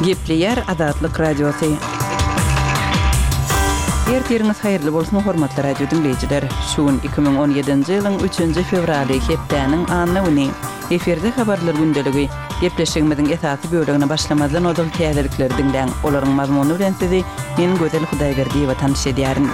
Gepleýär Azatlyk Radiosy. Ertiriňiz haýyrly bolsun, hormatly radio diňleýjiler! Şu gün 2017-nji ýylyň üçünji fewraly, hepdäniň anna güni. Efirde Habarlar gündeligi. Gepleşigimiziň esasy bölegine başlamazdan ozal täzelikleri diňläň. Olaryň mazmuny bilen sizi men Gözel Hudaýberdiýewa tanyş edýärin.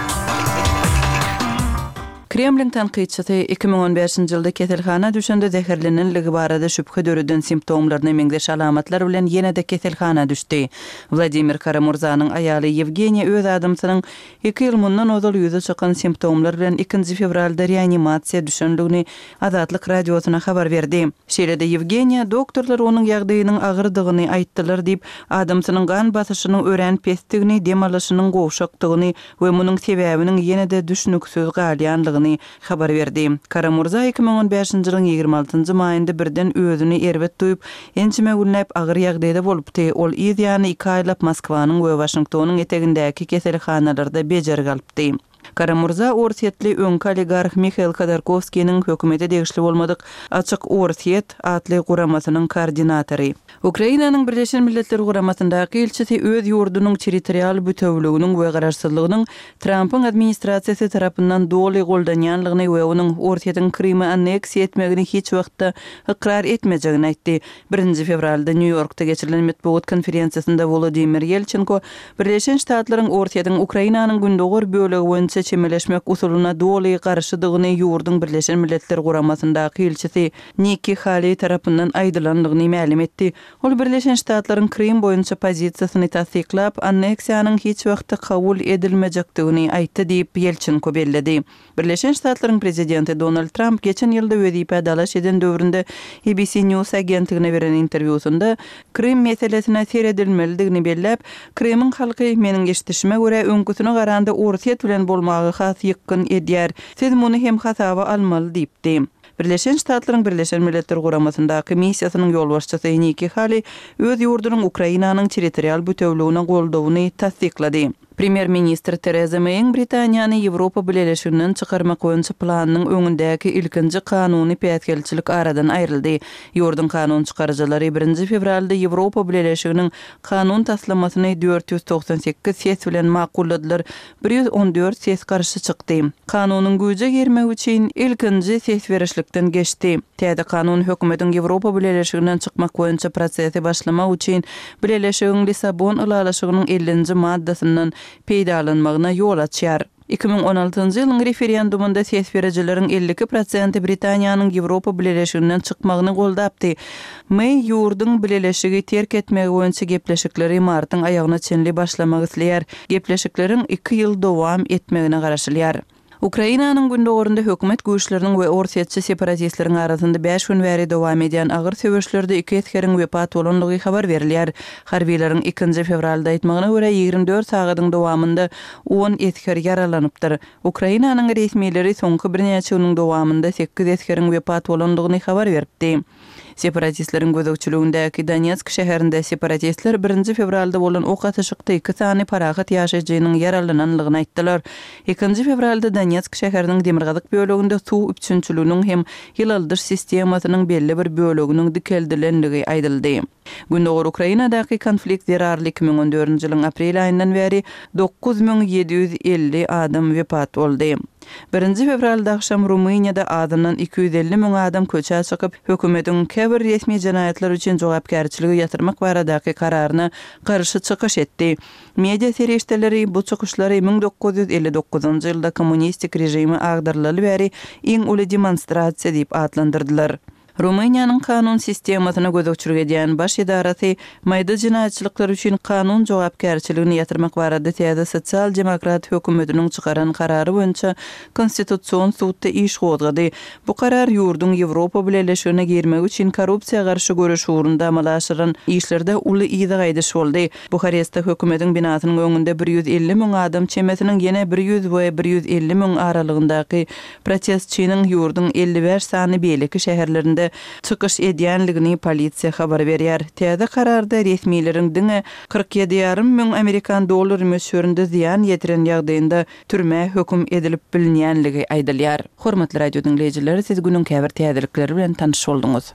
Kremliň tankytçysy 2015-nji ýylda keselhana düşende zäherlenenligi barada şübhe döreden simptomlaryna meňzeş alamatlar bilen ýene-de keselhana düşdi. Wladimir Kara-Murzanyň aýaly Ýewgeniýa öz adamsynyň iki ýyl mundan ozal ýüze çykan simptomlar bilen ikinji fewralda reanimasiýa düşenligini Azatlyk Radiosyna habar berdi. Şeýle-de Ýewgeniýa doktorlar onuň ýagdaýynyň agyrdygyny aýtdylar diýip, adamsynyň gan basyşynyň örän pesdigini, dem alyşynyň gowşakdygyny we munuň sebäbiniň ýene-de düşnüksiz galýanlygyny habar berdi. Kara-Murza 2015-nji ýylyň 26 njy maýynda birden özüni erbet duýup, ençeme günläp agyr ýagdaýda bolupdy. Ol yz ýany iki aýlap Moskwanyň we Waşingtonyň etegindäki keselhanalarda bejergi alypdy. Kara-Murza orsýetli öňki oligarh Mihail Hodorkowskiniň hökümete degişli bolmadyk Açyk Orsýet atly guramasynyň koordinatory. Ukrainanyň Birleşen Milletler Guramasyndaky ilçisi öz ýurdunyň territorial bütewüliginiň we garaşsyzlygynyň Trampyň administrasiýasy tarapyndan doly goldanýanlygyny we onuň Orsýetiň Krymy anneksiýa etmegini hiç wagtda ykrar etmejegini aýtdy. Birinji fewralda Nýu-Ýorkda geçirilen metbugat konferensiýasynda Wolodymyr Ýelçenko Birleşen Ştatlaryň Orsýetiň Ukrainanyň gündogar bölegi boýunça çemeleşmek usulyna doly garşydygyny ýurduň Birleşen Milletler Guramasyndaky ilçisi Nikki Haleý tarapyndan aýdylandygyny mälim etdi. Ol Birleşen Ştatlaryň Krym boýunça pozisiýasyny tassyklap, anneksiýanyň hiç wagtda kabul edilmejekdigini aýtdy diýip, Ýelçenko belledi. Birleşen Ştatlaryň prezidenti Donald Tramp geçen ýylda wezipä dalaş eden döwründe ABC News agentligine beren interwýusynda Krym meselesine seredilmelidigini belläp, Krymyň halky, meniň eşidişime görä, öňküsine garanda Orsýet bilen bolmaga has ýykgyn edýär. Siz muny hem hasaba almaly diýipdi. Birleşen Ştatlaryň Birleşen Milletler Guramasyndaky missiýasynyň ýolbaşçysy Nikki Hali öz ýurdunyň Ukrainanyň territorial bütewligine goldawyny tassyklady. Premýer-ministr Tereza Meýiň Britaniýany Ýewropa Bileleşiginden çykarmak boýunça planynyň öňündäki ilkinji kanuny päsgelçilik aradan aýryldy. Ýurduň kanun çykaryjylary birinji fewralda Ýewropa Bileleşiginiň kanun taslamasyny 498 ses bilen makulladylar, 114 ses garşy çykdy. Kanunyň güýje girmegi üçin ilkinji ses berişlikden geçdi. Täze kanun hökümetiň Ýewropa Bileleşiginden çykmak boýunça prosesi başlamak üçin Bileleşigiň Lissabon ylalaşygynyň ellinji maddasyndan peýdalanmagyna ýol açýar. 2016-njy ýylyň referendumynda ses berijileriň 52 prosenti Britaniýanyň Ýewropa Bileleşiginden çykmagyny goldapdy. Meý ýurduň Bileleşigi terk etmegi boýunça gepleşikleri martyň aýagyna çenli başlamak isleýär. Gepleşikleriň iki ýyl dowam etmegine garaşylýar. Ukrainanyň gündogarynda hökümet güýçleriniň we orsýetçi separatistleriň arasynda bäş gün bäri dowam edýän agyr söweşlerde iki esgeriň wepat bolandygy habar berilýär. Harbylaryň ikinji fewralda aýtmagyna görä, 24 sagadyň dowamynda on esger ýaralanypdyr. Ukrainanyň resmileri soňky birnäçe günüň dowamynda sekiz esgeriň wepat bolandygyny habar beripdi. Separatistleriň gözegçiligindäki Donetsk şäherinde separatistler birinji fewralda bolan ok atyşykda iki sany parahat ýaşaýjynyň ýaralananlygyny aýtdylar. Ikinji fewralda Donetsk şäheriniň demirgazyk böleginde suw üpjünçiliginiň hem ýylaldyş sistemasynyň belli bir böleginiň dikeldilenligi aýdyldy. Gündogar Ukrainadaky konflikt zerarly 2014-nji ýylyň aprel aýyndan bäri 9750 adam wepat boldy. Birinji fewralda agşam Rumyniýada azyndan 250 müň adam köçä çykyp, hökümetiň käbir resmi jenaýatlar üçin jogapkärçiligi ýatyrmak baradaky kararyna garşy çykyş etdi. Media serişdeleri bu çykyşlary 1959-njy ýylda kommunistik režimi agdarylaly bäri iň uly demonstrasiýa diýip atlandyrdylar. Rumyniýanyň kanun sistemasyna gözegçilik edýän baş edarasy maýda jenaýatçylyklar üçin kanun jogapkärçiligini ýatyrmak barada täze sosial-demokrat hökümetiniň çykaran karary boýunça Konstitusion sudda iş gozgady. Bu karar ýurduň Ýewropa Bileleşigine girmegi üçin korrupsiýa garşy göreş ugrunda amala aşyrylan işlerde uly yza gaýdyş boldy. Buharestde hökümetiň binasynyň öňünde 150 müň adam çemesiniň ýene bir ýüz we 150 müň aralygyndaky Protestçiniň ýurduň 55 sany beýleki şäherlerinde çykyş edýänligini polisiýa habar berýär. Täze kararda resmileriň diňe 47 ýarym müň amerikan dollary möçberinde zyýan ýetiren ýagdaýynda türmä höküm edilip bilinýänligi aýdylýar. Hormatly radio diňleýjiler, siz günüň käbir täzelikleri bilen tanyş bolduňyz.